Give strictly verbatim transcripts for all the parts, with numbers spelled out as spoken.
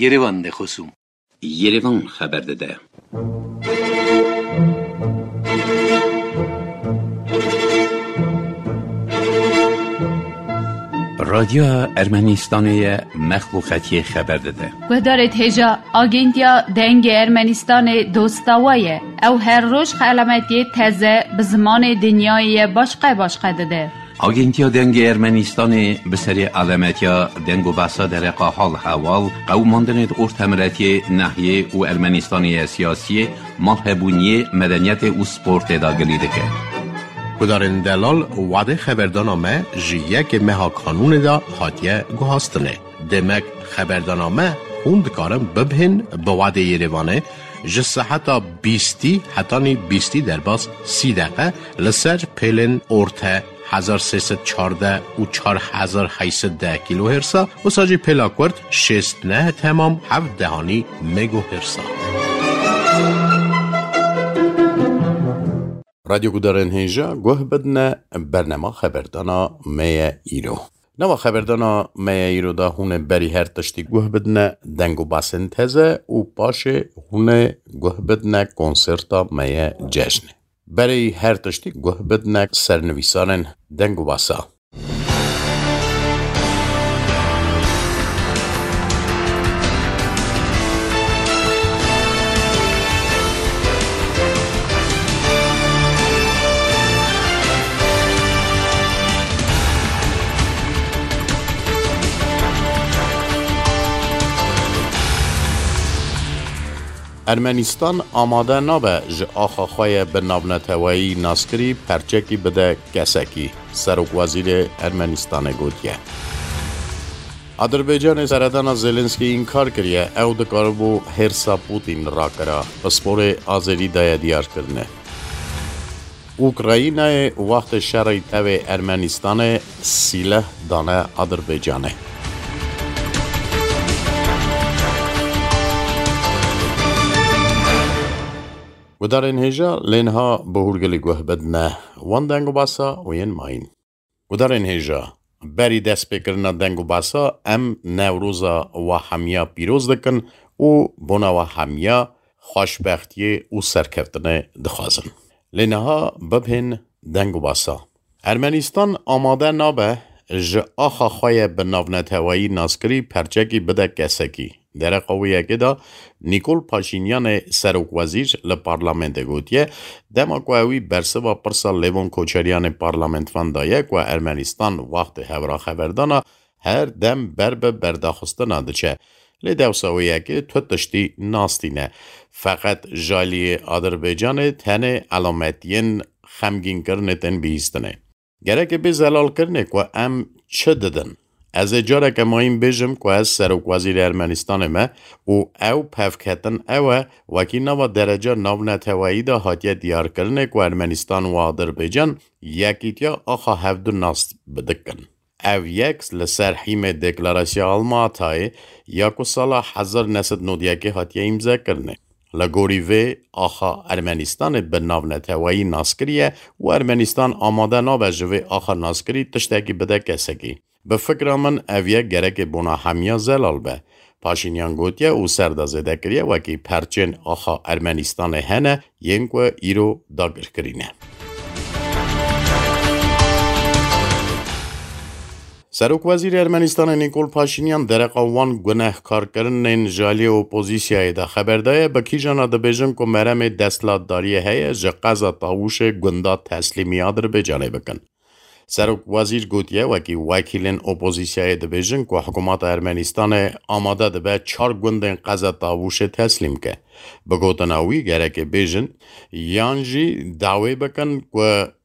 Yerevan de xosûm. Yerevan xeber dide. Radyoya Ermenistanê ye mexluqetiyê xeber dide. Guhdarêt hêja, Agentiya Dengê Ermenistanê dosta we ye. Ew her roj xelametiyê teze bi zimanê dinyayê ye başqe başqe dide. Agentiya Dengê Ermenistanê bi serê alametiya deng û behsa dereqa hal heval, qewimandinê di ortemiletiyê, nehiyê û Ermenistanê ye siyasiyê, malhebûniyê, medeniyetê û sportê de gilî dike. Gudarên delal, wadê xeberdana me ji yekê meha kanûnê de hatiye guhastinê. Demek xeberdana me hûn dikarin bibhên bi wadê Yerevanê ji seheta bîstî hetanî bîstî derbas sî deqe li ser pêlên orte hezar sê sed çardeh û çar hezar heyt sed deh kilohertsa, wisa jî pêla kurt şêst neh temam heft dehanî megohertsa. Radyo gudarên hêja guh bidine bernema xeberdana me ye îro. Nava xeberdana me ye îro de hûn ê berî her tiştî guh bidine deng û basên teze û paşê hûn ê guh bidine konserta me ye cejnê. Berî her tiştî guh bidine sernivîsanên deng û basa. Ermenistan amade nabe ji axa xwe ye bi navneteweyî naskirî perçekî bide kesekî, Serokwezîrê Ermenistanê gotiye. Adirbaycanê seredana Zelensky înkar kiriye, ew dikaribû hêrsa Putin rakira, pisporê Azerî daye diyarkirine. Ukraynayê wextê şerê tevê Ermenistanê sîleh dane Adirbaycanê. Gudarên hêja lê niha bi hûrgilî guh bidine wan deng û basa û yên mayîn. Gudarên hêja, berî destpêkirina deng û basa em Newroza wa hemiya pîroz dikin û bona wa hemiya xweşbextiyê û serkeftinê dixwazin. Lê niha bibhên deng û basa. Ermenistan amade nabe ji axa xwe ye bi navneteweyî naskirî perçekî bide kesekî. Dereqa wê yekê de Nîkol Paşînyanê serokwezîr li parlamentê gotiye, dema ku ewî bersiva pirsa Lêvon Koçeriyanê parlamentvan daye ku Ermenistan wextê hevraxeverdana her dem ber bi berdaxistina diçe. Lê dewsa wê yekê tu tiştî nastîne. Feqet ji aliyê Adirbaycanê tenê elametiyên xemgînkirinê tên bihîstinê. Gerek e bê zelalkirinê ku em çi didin. Ez ê careke mayîn bêjim ku ez serokwezîrê Ermenistanê me û ew pevketin ew e, wekî nava dereca navneteweyî de hatiye diyarkirinê ku Ermenistan û Adirbaycan yekîtiya axa hevdu nas bidikin. Ev yek li ser hîmê Deklarasya Almatayê ya ku sala hezar neh sed nod yekê hatiye îmzekirinê. Li gorî vê, axa Ermenistanê bi navneteweyî nas kiriye û Ermenistan amade nabe ji vê axa naskirî tiştekî bide kesekî. Bi fikra min ev yek gerekê bona hemiya zelal be. Paşînyan gotiye û ser de zêde kiriye wekî perçên axa Ermenistanê hene yên ku îro dagirkirî ne. Serokwezîrê Ermenistanê Nîkol Paşînyan dereqa wan gunehkarkirinên ji aliyê opozîsyayê de xeber daye, bi kîjana dibêjin ku meremê desthilatdariyê heye ji qeza Tawûşê gunda teslîmî Adirbaycanê bikin. Serokwezîr gotiye, wekî wekîlên opozîsyayê dibêjin ku hikûmeta Ermenistanê amade dibe çar gundên qeza Tawûşê teslîm ke. Bi gotina wî, gereke bêjin yan jî dawê bikin ku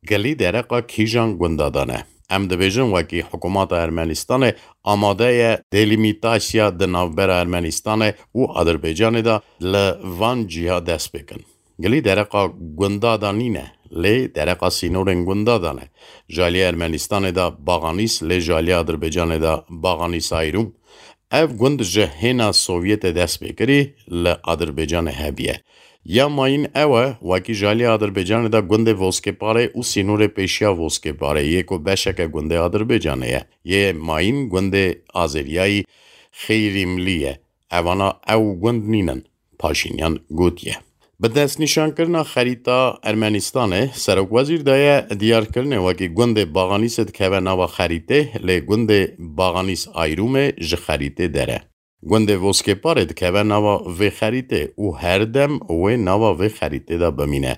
gilî dereqa kîjan gunda dane. Em dibêjin, wekî hikûmeta Ermenistanê amade ye delîmîtasya di navbera Ermenistanê û Adirbaycanê de li van cîha dest pê kin. Gilî dereqa gunda de nîne, lê dereqa sînorên gunda de ne. Ji aliyê Ermenistanê de Baxanîs, lê ji aliyê Adirbaycanê de Baxanîs Ayrûm. Ev gund ji hêna Sovyetê dest pê kirî li Adirbaycanê hebiye. Ya mayîn ew e, wekî ji aliyê Adirbaycanê de gundê Voskêparê û sînorê pêşiya Voskêparê yê ku beşeke gundê Adirbaycanê ye. Yê mayîn gundê Azeriyayî Xeyrîmlî ye. Evana ew gund nînin, Paşînyan gotiye. Bi destnîşankirina xerîta Ermenistanê, serokwezîr daye diyarkirinê wekî gundê Baxanîsê dikeve nava xerîtê, lê gundê Baxanîs Ayrûmê ji xerîtê der e. Gundê Voskêparê dikeve nava vê xerîtê û her dem wê nava vê xerîtê de bimîne.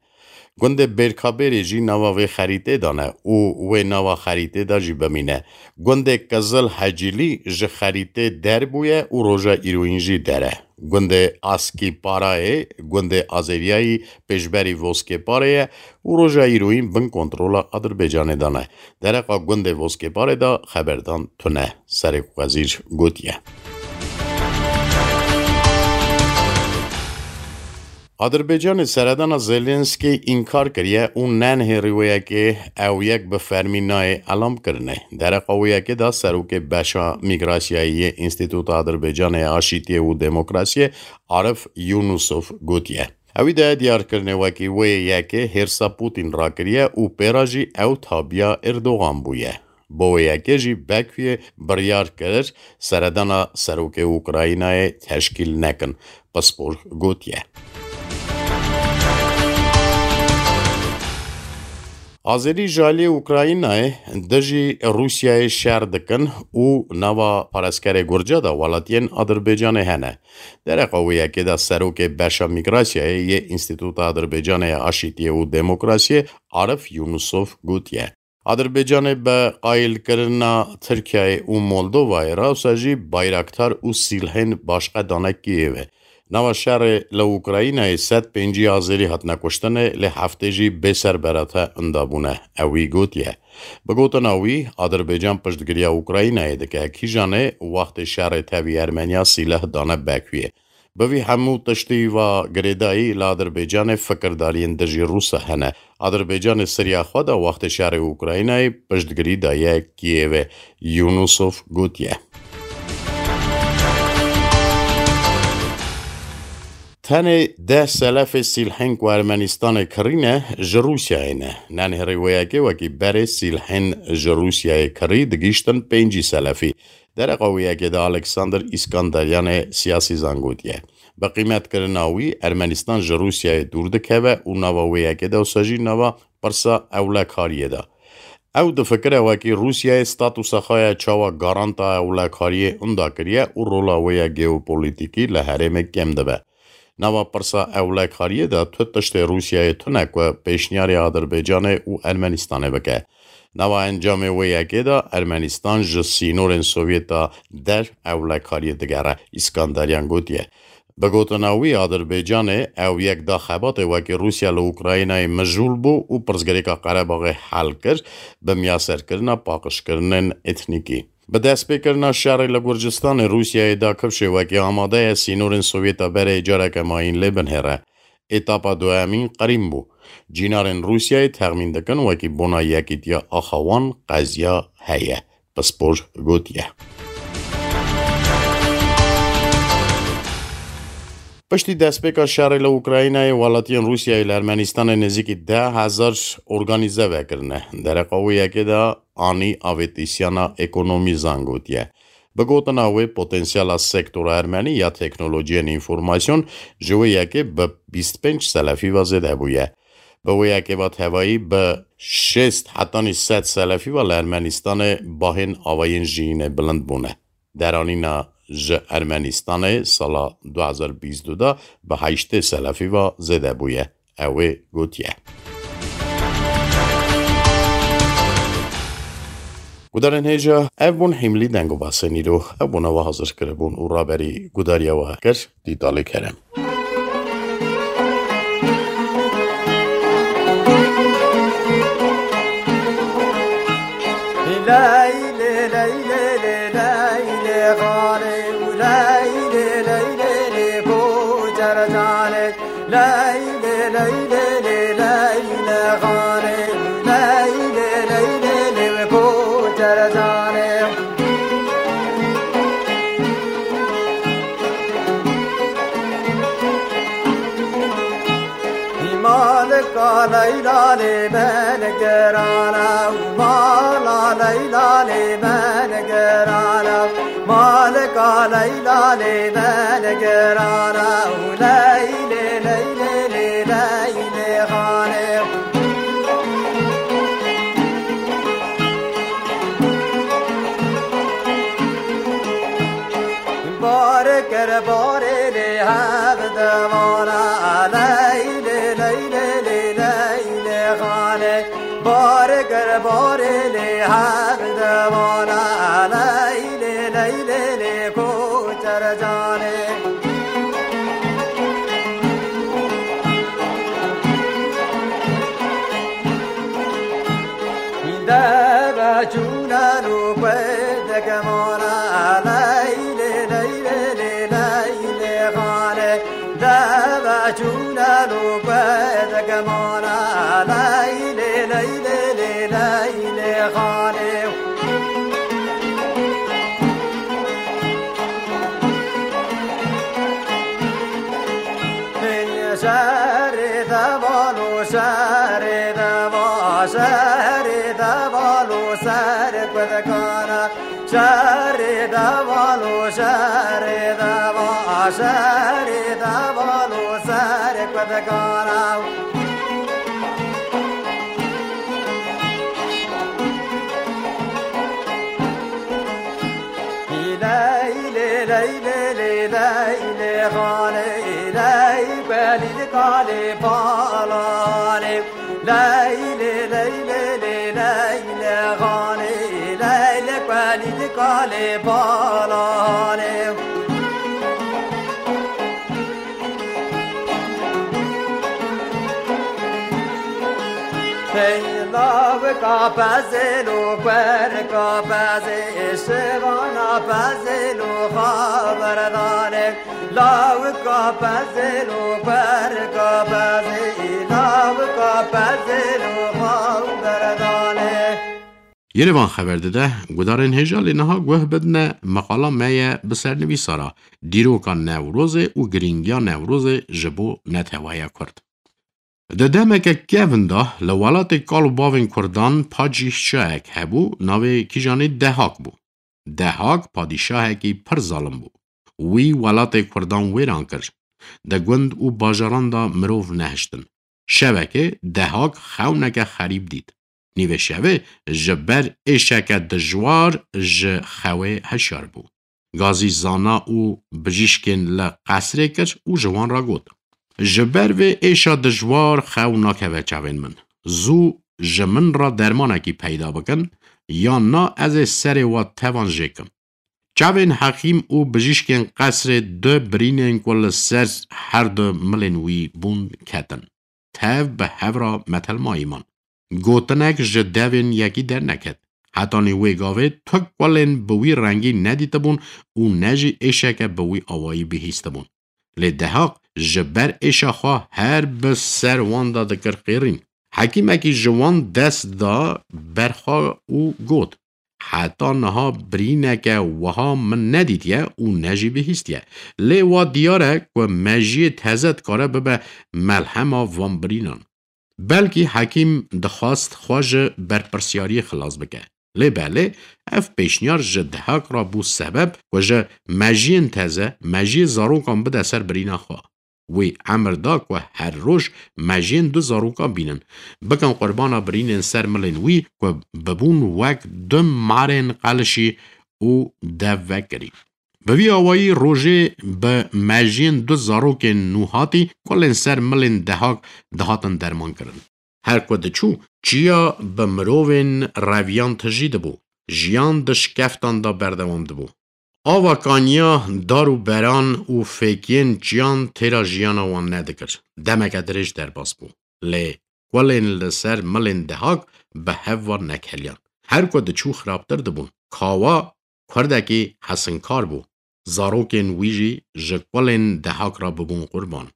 Gundê Bêrkabêrê jî nava vê xerîtê de ne û wê nava xerîtê de jî bimîne. Gundê Qizil Hecîlî ji xerîtê der bûye û roja îroyîn jî der e. Gundê Askîparayê, gundê Azeriyayî pêşberî Voskêparê ye û roja îroyîn bin kontrola Adirbaycanê de ne. Dereqa gundê Voskêparê de xeberdan tune, Serok Wezîr gotiye. Adirbaycanê seredana Zelensky înkar kiriye û nenhêrî wê yekê ew yek bi fermî nayê elam kirinê. Dereqa wê yekê de serokê beşa mîgrasyayê yê Înstîtuta Adirbaycanê ya Aşîtiyê û Demokrasiyê Arif Yunusov gotiye. Ewî daye diyarkirinê wekî wê yekê hêrsa Putin rakiriye û pê re jî ew tabiya Erdogan bûye. Bo wê yekê jî Bakuyê biryar kir seredana serokê Ukraynayê teşkîl nekin, Pispor gotiye. Azerî ji aliyê Ukraynayê dijî Rûsyayê şer dikin û nava paraskerê Gurca de welatiyên Adirbaycanê hene. Dereqa wê yekê de serokê beşa mîgrasyayê yê Înstîtuta Adirbaycanê ya Aşîtiyê û Demokrasiyê Arif Yunusov gotiye. Adirbaycanê bi qayîlkirina Tirkiyeyê û Moldovayê re wisa jî Bayraktar û Sîlhên başqe dane Kîyevê. Nava şerê li Ukraynayê sed pêncî Azerî hatine kuştinê, lê heftê jî bêserberate inda bûne, ewî gotiye. Bi gotina wî, Adirbaycan piştgiriya Ukraynayê dike, kîjanê wextê şerê tevî Ermeniya sîleh dane Bakuyê. Bi vî hemû tiştî va girêdayî li Adirbaycanê fikirdariyên dijî Rûsa hene. Adirbaycanê siriya xwe de wextê şerê Ukraynayê piştgirî daye Kîyevê, Yunusov gotiye. Tenê deh selefê sîlhên ku Ermenistanê kirî ne, ji Rûsyayê ne. Nenhêrî wê yekê wekî berê sîlhên ji Rûsyayê kirî digihîştin pêncî selefî. Dereqa wê yekê de Alexander Îskanderyanê siyasî zangotiye. Bi qîmetkirina wî Ermenistan ji Rûsyayê dûr dikeve û nava wê yekê de wisa jî nava pirsa ewlekariyê de. Ew difikire wekî Rûsyayê statusa xwe ya çawa garanta ewlekariyê inda kiriye û rola wê ya geopolitîkî li herêmê kêm dibe. Nava pirsa ewlekariyê de tu tiştê Rûsyayê tune ku pêşniyarê Adirbaycanê û Ermenistanê bike. Nava encamê wê yekê de Ermenistan ji sînorên Sovyeta der ewlekariyê digere, Îskanderyan gotiye. Bi gotina wî, Adirbaycanê ew yek da xebatê wekî Rûsya li Ukraynayê mijûl bû û pirsgirêka Qerebaxê hel kir, bi miyaserkirina paqijkirinên etnîkî. Bi destpêkirina şerê li Gurcistanê Rûsyayê da kifşê wekî amade ye sînorên Sovyeta berê careke mayîn lê binihêre. Etapa duyemîn qirîn bû. Cînarên Rûsyayê texmîn dikin wekî bona yekîtiya axa wan qeziya heye, Pispor gotiye. Piştî destpêka şerê li Ukraynayê, welatiyên Rûsyayê li Ermenistanê nêzîkî deh hezar organîze vekirine. Dereqa wê yekê de Anî Avêtîsyana Ekonomî zangotiye. Bi gotina wê, potensiyela sektora ermenî ya teknolojiyên înformasyon ji wê yekê bi bîst pênc selefî ve zêde bûye. Bi wê yekê ve tevayî bi şêst hetanî sed selefî ve li Ermenistanê bahên avayên jiyînê bilind bûne. Deranîna ji Ermenistanê sala du hezar bîst û du de bi heştê selefî ve zêde bûye. Ew ê gotiye. Gudarên hêja, ev bûn hîmlî deng û basên îro. Ew bûne we hazir kiribûn û raberî gudariya we kir, Dîtalê Kerem. Malika Leyla lê me nigerana, mala Leyla lê me nigerana, malika Leyla lê dene girana û leylê, leylê, lê leylê xanê. Bar kir barê lê hev devana, leylê, leylê, lê leylê xanê. Bar kir barê lê hev devana, leylê, leylê, lê koçer canê. Deve çûnen û xwe dekemana, leylê, leylê, lê leylê xanê. Deve çûnen û xwe dekemana, leylê, leylê, lê leylê xanê. Şerê devan û şerê deva, şerê devan û ser kudkana. Şerê devan û şerê deva, şerê devan û ser kudkana. Leylê, leylê, lê leylê xanê, ley belî li kalê palanê. Leylê, leylê, lê leylê xanê, leylê belî li kalê palanê. Hey, lawika pezêl û kwerika pezê, şivana pezêl û xaberdanê. Lawika pezêl û kwerika pezê, lawika pezêl û xaberdanê. Yerevan xeber dide, gudarên hêja lê niha guh bidine, meqala me ye bi sernivîsa re, dîroka Newrozê û girîngiya Newrozê ji bo neteweya Kurd. Di demeke kevin de li welatê kal û bavên Kurdan padşahek hebû, navê kîjanê Dehak bû. Dehak padîşahekî pir zalim bû. Wî welatê Kurdan wêran kir. Di gund û bajaran de mirov nehiştin. Şevekê Dehak xewneke xerîb dît. Nîvê şevê ji ber êşeke dijwar ji xewê hişyar bû. Gazî zana û bijîşkên li qesrê kir û ji wan re got, "Ji ber vê êşa dijwar xew nakeve çavên min. Zû ji min re dermanekî peyda bikin, yan na ez ê serê we tevan jêkim." Çavên hekîm û bijîşkên qesrê du birînên ku li ser her du milên wî bûn ketin. Tev bi hev re metelmayî man. Gotinek ji devên yekî derneket. Hetanî wê gavê tu kulên bi wî rengî nedîtibûn û ne jî êşeke bi wî awayî bihîstibûn. Lê Dehaq ji ber êşa xwe her bi ser wan de dikir qêrîn. Hekîmekî ji wan dest da ber xwe û got, "Heta niha birîneke wiha min nedîtiye û ne jî bihîstiye. Lê wa diyar e ku mejiyê teze dikare bibe melhema van birînan." Belkî hekîm dixwast xwe ji berpirsiyariyê xilas bike. Lê belê ev pêşniyar ji Dehaq re bû sebeb ku ji mejiyên teze, mejiyê zarokan bide ser birîna xwe. Wî emir da ku her roj mejiyên du zarokan bînin, bikin qurbana birînên ser milên wî ku bibûn wek du marên qelişî û dev vekirî. Bi vî awayî rojê bi mejiyên du zarokên nûhatî kulên ser milên Dehak dihatin dermankirin. Her ku diçû, çiya bi mirovên reviyan tijî dibû, jiyan di şikeftan de berdewam dibû. Ava kaniya dar û beran û fêkiyên çiyan têra jiyana wan nedikir. Demeke dirêj derbas bû. Lê kulên li ser milên Dehak bi hev ve nekeliyan. Her ku diçû xirabtir dibûn. Kawa kurdekî hesinkar bû. Zarokên wî jî ji kulên Dehak re bibûn qurban.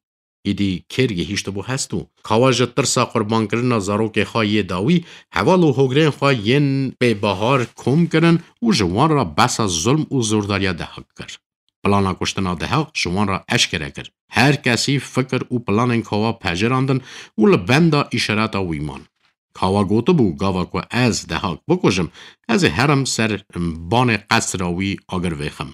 Îdî kêr gihîştibû hest û Kawa ji tirsa qurbankirina zarokê xwe yê dawî, heval û hogrên xwe yên pê bahar kom kirin û ji wan re behsa zulm û zordariya Dehak kir. Plana kuştina Dehak ji wan re eşkere kir. Her kesî fikir û planên Kawa pejirandin û li benda îşareta wî man. Kawa gotibû, gava ku ez Dehak bikujim, ez ê herim ser banê qesra wî agir vêxim.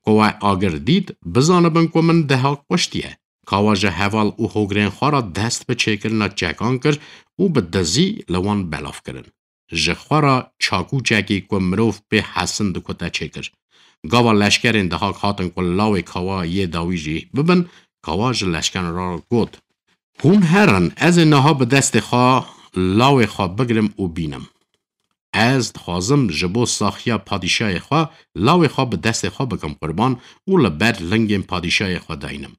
Ku we agir dît, bizanibin ku min Dehak kuştiye. Kawa ji heval û hogirên xwe re dest bi çêkirina çekan kir û bi dizî li wan belav kirin. Ji xwe re çakûçekî ku mirov pê hesin dikute çêkir. Gava leşkerên Dehak hatin ku lawê Kawa yê dawî jî bibin, Kawa ji leşkeran re got, Hûn herin, ez ê niha bi destê xwe lawê xwe bigirim û bînim. Ez dixwazim ji bo saxiya padîşayê xwe lawê xwe bi destê xwe bikim qurban û li ber lingên padîşayê xwe daynim.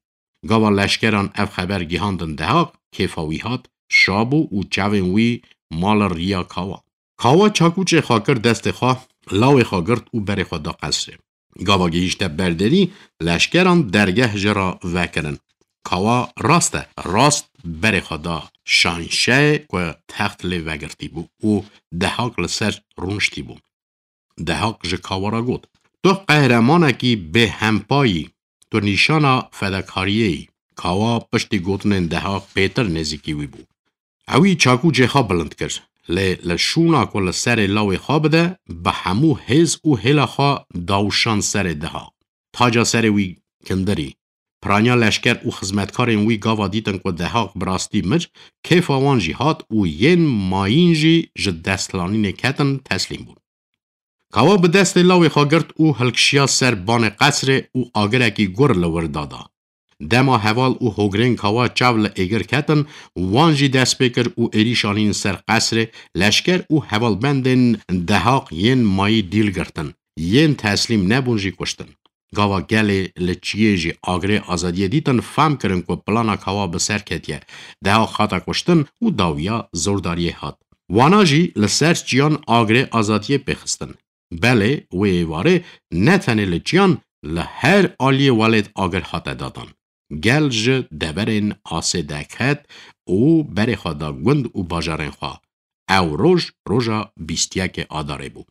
Gava leşkeran ev xeber gihandin Dehak, kêfa wî hat, şa bû û çavên wî ma li riya Kawa. Kawa çakûçê xwe kir destê xwe, lawê xwe girt û berê xwe da qesrê. Gava gihîşte ber derî, leşkeran dergeh ji re vekirin. Kawa rast e, rast berê xwe da şanşeyê ku text lê vegirtî bû û Dehak li ser rûniştî bû. Dehak ji Kawa re got, Tu qehremanekî bêhempa yî, tu nîşana fedakariyê yî. Kawa piştî gotinên Dehak pêtir nêzîkî wî bû. Ewî çakûcê xwe bilind kir, lê li şûna ku li serê lawê xwe bide, bi hemû hêz û hêla xwe dawşand serê Dehak. Taca serê wî kindirî. Piraniya leşker û xizmetkarên wî gava dîtin ku Dehak bi rastî mir, kêfa wan jî hat û yên mayîn jî ji destlanînê ketin, teslîm bûn. Kawa bi destê lawê xwe girt û hilkişiya ser banê qesrê û agirekî gur li wir dada. Dema heval û hogirên Kawa çav li êgir ketin, wan jî dest pê kir û êrîş anîn ser qesrê, leşker û hevalbendên Dehaq yên mayî dîl girtin, yên teslîm nebûn jî kuştin. Gava gelê li çiyê jî agirê azadiyê dîtin, fam kirin ku plana Kawa bi ser ketiye. Dehaq hate kuştin û dawiya zordariyê hat. Wana jî li ser çiyan agirê azadiyê pêxistin. Belê, wê êvarê ne tenê li çiyan, li her aliyê welêt agir hate datan. Gel ji deverên asê derket û berê xwe da gund û bajarên xwe. Ew roj, roja bîst yekê Adarê bû.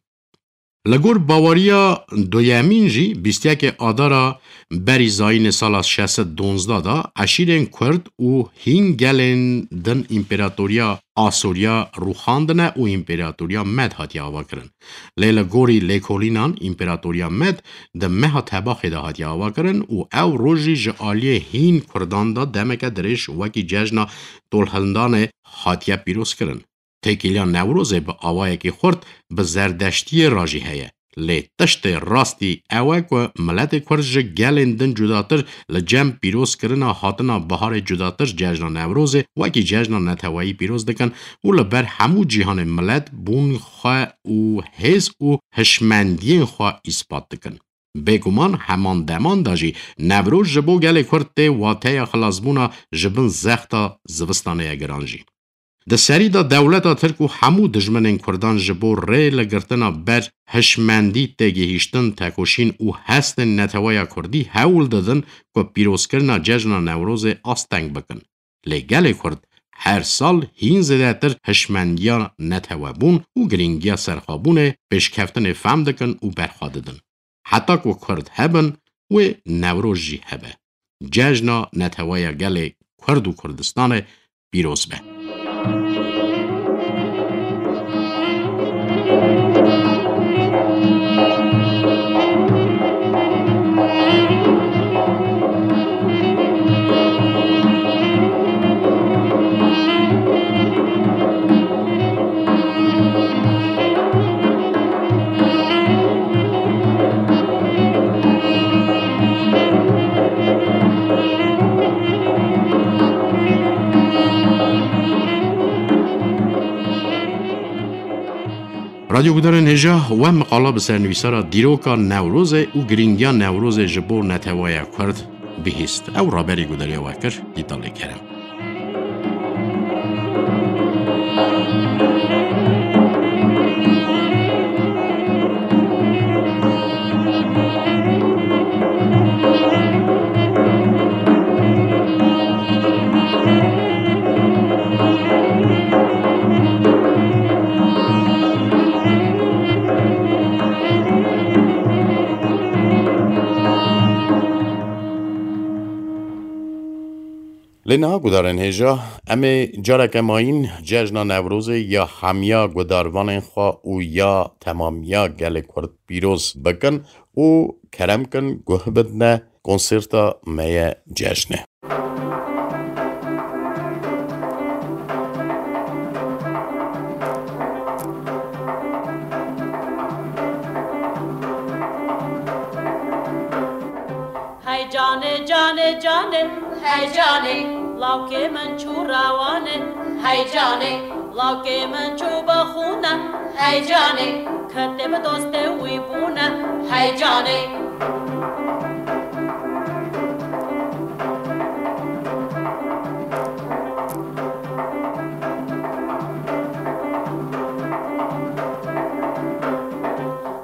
Li gor baweriya duyemîn jî bîst yekê Adara berî zayînê sala şeş sed donzdeh de eşîrên Kurd û hîn gelên din împeratoriya Asûriya rûxandine û împeratoriya Med hatiye avakirin. Lê li gorî lêkolînan împeratoriya Med di meha Tebaxê de hatiye avakirin û ew roj jî ji aliyê hîn Kurdan de demeke dirêj wekî cejna Tolhildanê hatiye pîrozkirin. Têkiliya Newrozê bi awayekî xurt bi Zerdeştiyê re jî heye. Lê tiştê rastî ew e ku miletê Kurd ji gelên din cudatir li cem pîrozkirina hatina biharê cudatir cejna Newrozê wekî cejna neteweyî pîroz dikin û li ber hemû cîhanê milet bûn xwe û hêz û hişmendiyên xwe îspat dikin. Bêguman heman deman de jî Newroz ji bo gelê Kurd tê wateya xilasbûna ji bin zexta zivistanê ye giran jî. Di serî de dewleta Tirk û hemû dijminên Kurdan ji bo rê li girtina ber hişmendî têgihîştin, tekoşîn û hestên neteweya Kurdî hewl didin ku pîrozkirina cejna Newrozê asteng bikin. Lê gelê Kurd her sal hîn zêdetir hişmendiya netewebûn û girîngiya serxwebûnê, pêşkeftinê fam dikin û berxwe didin. Heta ku Kurd hebin, wê Newroz jî hebe. Cejna neteweya gelê Kurd û Kurdistanê pîroz be. Radyo gudarên hêja, we miqala bi sernivîsara dîroka Newrozê û girîngiya Newrozê ji bo neteweya Kurd bihîst. Ew raberî gudariya we kir, Dîtalê Kerem. Lê niha gudarên hêja, em ê careke mayîn cejna Newrozê ya hemiya gudarvanên xwe û ya temamiya gelê Kurd pîroz bikin û kerem kin guh bidne konserta me ye cejnê. Hey canê, canê, canê, hey canê, lawkê min çû rewanê, hey canê, lawkê min çû bi xûne, hey canê, kitê bi dostê wî bûne, hey canê.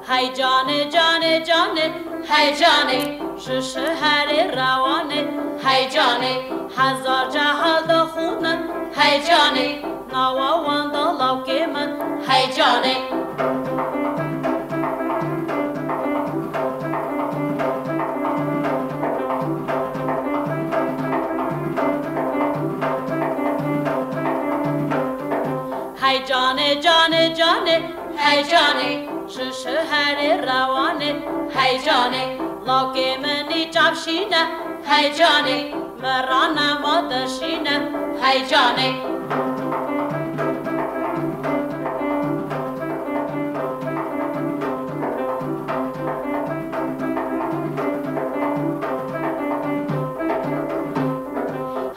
Hey canê, canê, canê, hey canê, ji şeherê rewanê, hey canê, hezar cehal dixwînin, hey canê, nawa wan da lawkê min, hey canê. Hey canê, canê, canê, hey canê, ji şeherê rewanê, hey canê, lawkê min î çavşîne, hey canê, min rane ma dişîne, hey canê.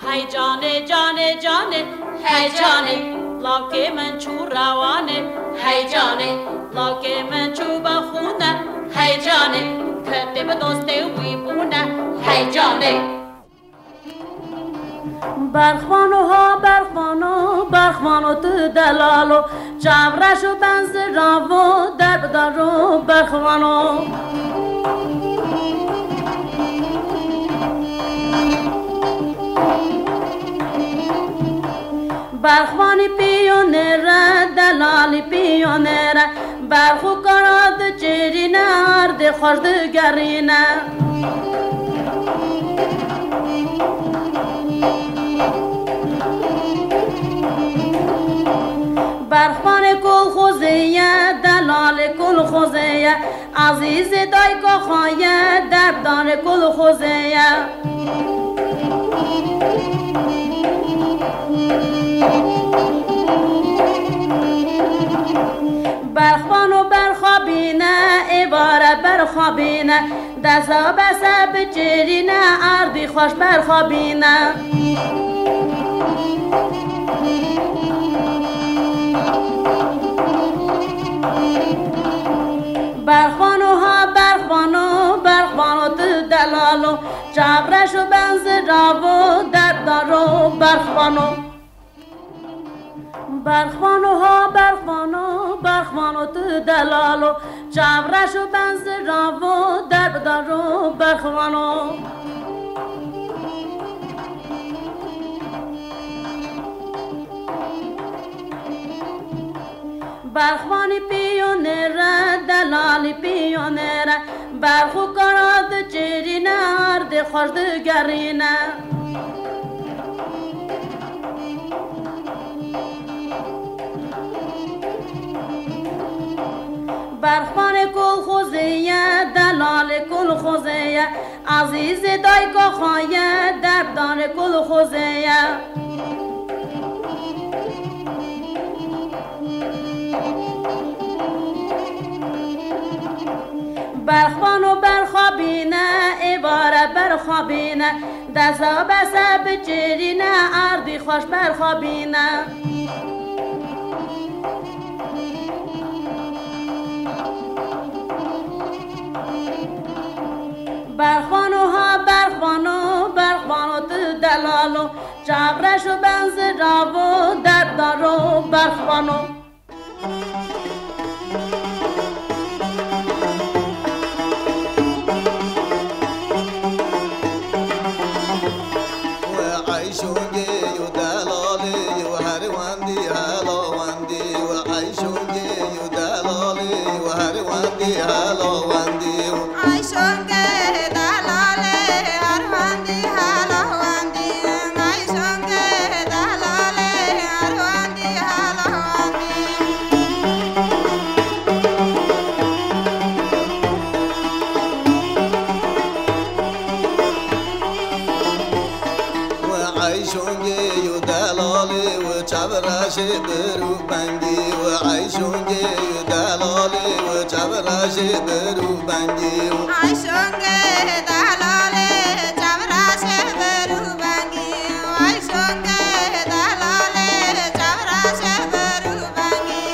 Hey canê, canê, canê, hey canê, lawkê min çû rewanê, hey canê, lawkê min çû bi xûne, hey canê, kitê bi dostê wî bûne, hey canê. Berxwano ha berxwano, berxwano tu delalo, çavreş û benziravo, derbdaro berxwano. Berxwanî piyonê re, delalî piyonê re, berx û kara diçirîne, erdê xweş digerîne. Berxwanê kolxozê ye, delalê kolxozê ye, ezîzê dayka xwe ye, derbdarê kolxozê ye. Berxwano berxabîne, êvare berxabîne, deza bese biçirîne, erdî xweş berxabîne. Berxwano ha berxwano, berxwano tu delalo, çavreş û benziravo, derbdaro berxwano. Berxwano ha berxwano, berxwano tu delalo, çavreş û benziravo, derbdaro berxwano. Berxwanî piyonê re, delalî piyonê re, berx û kara diçirîne, erdê xweş digerîne. Berxwanê kolxozê ye, delalê kolxozê ye, ezîzê dayka xwe ye, derbdarê kolxozê ye. Berxwano berxabîne, êvare berxabîne, deza bese biçirîne, erdî xweş berxabîne. Berxwano ha berxwano, berxwano tu delalo, çavreş û benziravo, derbdaro berxwano. We eyşûngê û delalê û her wendî hela wendî, we eyşûngê û delalê û her wendî hela wendî. Eyşûngê delalê her wendî hela wendî, eyşûngê Şongê û delalê û çavraşê bir û bengî û ay şongê û delalê û çavraşê bir û bengî û. Ay şongê delalê çavraşê bir û bengî û ay şongê delalê çavraşê bir û bengî.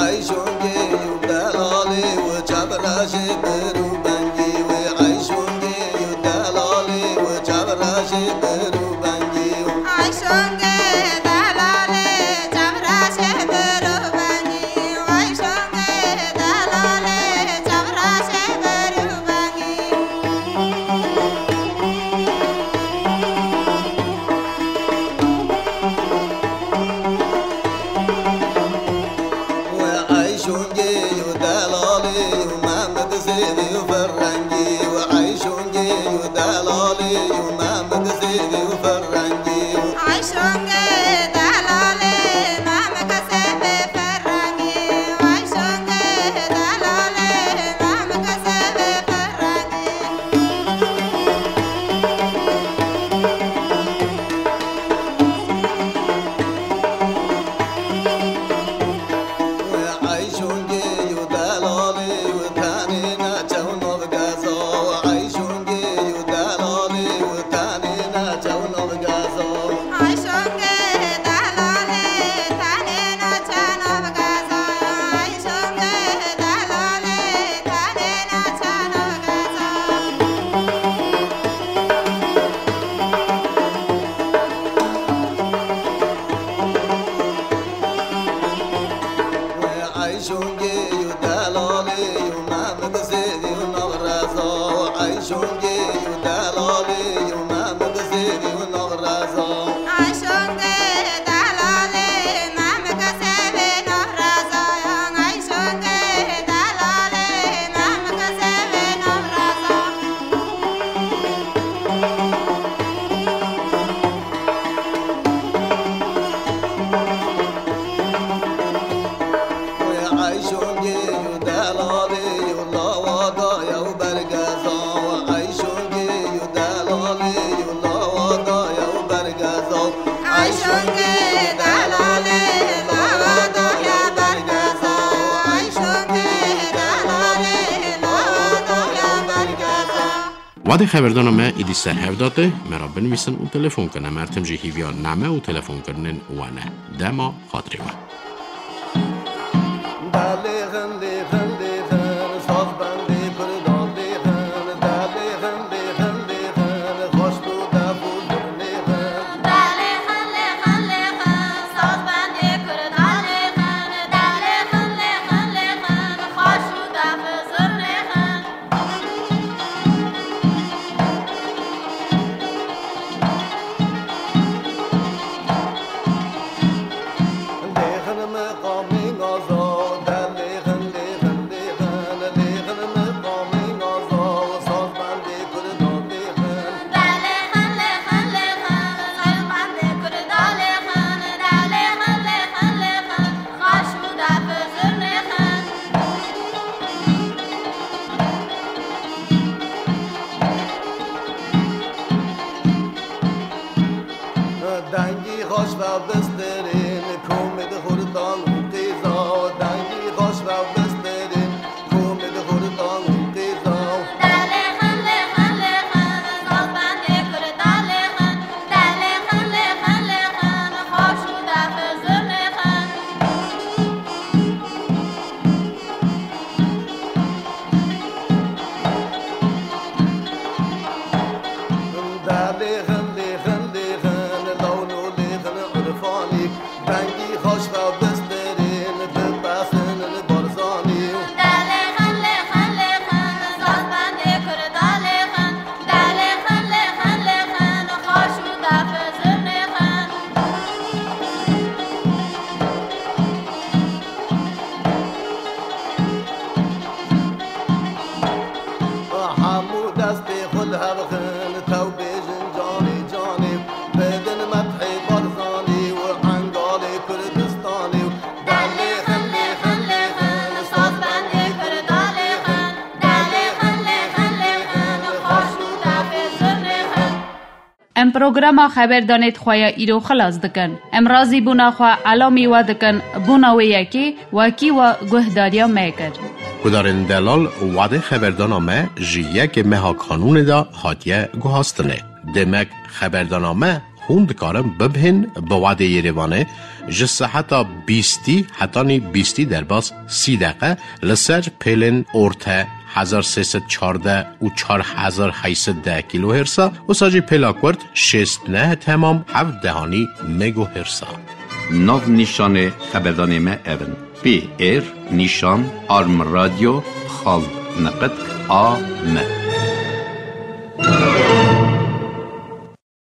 Ay şongê û delalê û çavraşê bir û bengî wê. Ay şongê û delalê û çavraşê bir û bengî û. Ay şongê delalê çavraşê bir û bengî û. Ay şongê delalê çavraşê bir û bengî. Ay şongê û delalê û Mehmet Sêvî û Ferrengî û. Ay şongê û delalê û Mehmet Sêvî û Ferrengî û. Ay şongê delalê Mehmet Sêvî Ferrengî û. Ay şongê delalê Mehmet Sêvî Ferrengî. Ay şongê û delalê û tenê neçew nav geza. Ay şongê û delalê û tenê neçew nav geza. Ay şongê delalê tenê neçew nav geza. Ay şongê delalê tenê neçew nav geza. Ay şongê û delalê û Mehmet Sêvî û Navraza. Ay şongê û delalê û Mehmet Sêvî û Navraza. Ay şongê delalê Mehmet Sêvî Navraza. Ay şongê delalê Mehmet Sêvî Navraza. Ay şongê û delalê û lawa daye û bergeza. Ay şongê û delalê û lawa daye û bergeza. Ay şongê delalê lawa daye bergeza. Ay şongê delalê lawa daye bergeza. Wadê xeberdana me êdî ser hev date, me re binivîsin û telefon kin. Em her tim jî hîviya name û telefonkirinên we ne. Dema xatirê we. Dalê xin, lê xin, lê xin, sazbendê Kurdan lê xin. Dalê xin, lê xin, lê xin, xwaşt û def û zurnê xin. Dalê xin, lê xin, lê xin, sazbendê Kurdan lê xin. Dalê xin, lê xin, lê xin, xwaşt û def û zurnê xin. Dengî xweş ve bistirên, komê di xurtan û qêza. Dengî xweş ve bistirên, komê di xurtan û qêza. Delê xin, lê xin, lê xin, sazbendê Kurdan lê xin. Delê xin, lê xin, lê xin, xweş û def û zurnê xin. Delê xin, lê xin, lê xin, lawn û lê xin, urfanî. Programa xeberdanê di xwe ya îro xilas dikin. Em razîbûna xwe elamî we dikin bona wê yekê wekî we guhdariya me kir. Guhdarên delal, wadê xeberdana me ji yekê meha Kanûnê de hatiye guhastinê. Demek xeberdana me hûn dikarin bibihên bi wadê Yerêvanê ji seheta bîstî hetanî bîstî derbas sî deqe li ser pêlên orte hezar sê sed çardeh û çar hezar heyt sed deh kîlohêrsa, wisa jî pêla kurt şêst neh temam heft dehanî megohêrsa. Nav nîşanê xeberdanê me ev in: P R nîşan arm radio xal neqet A M.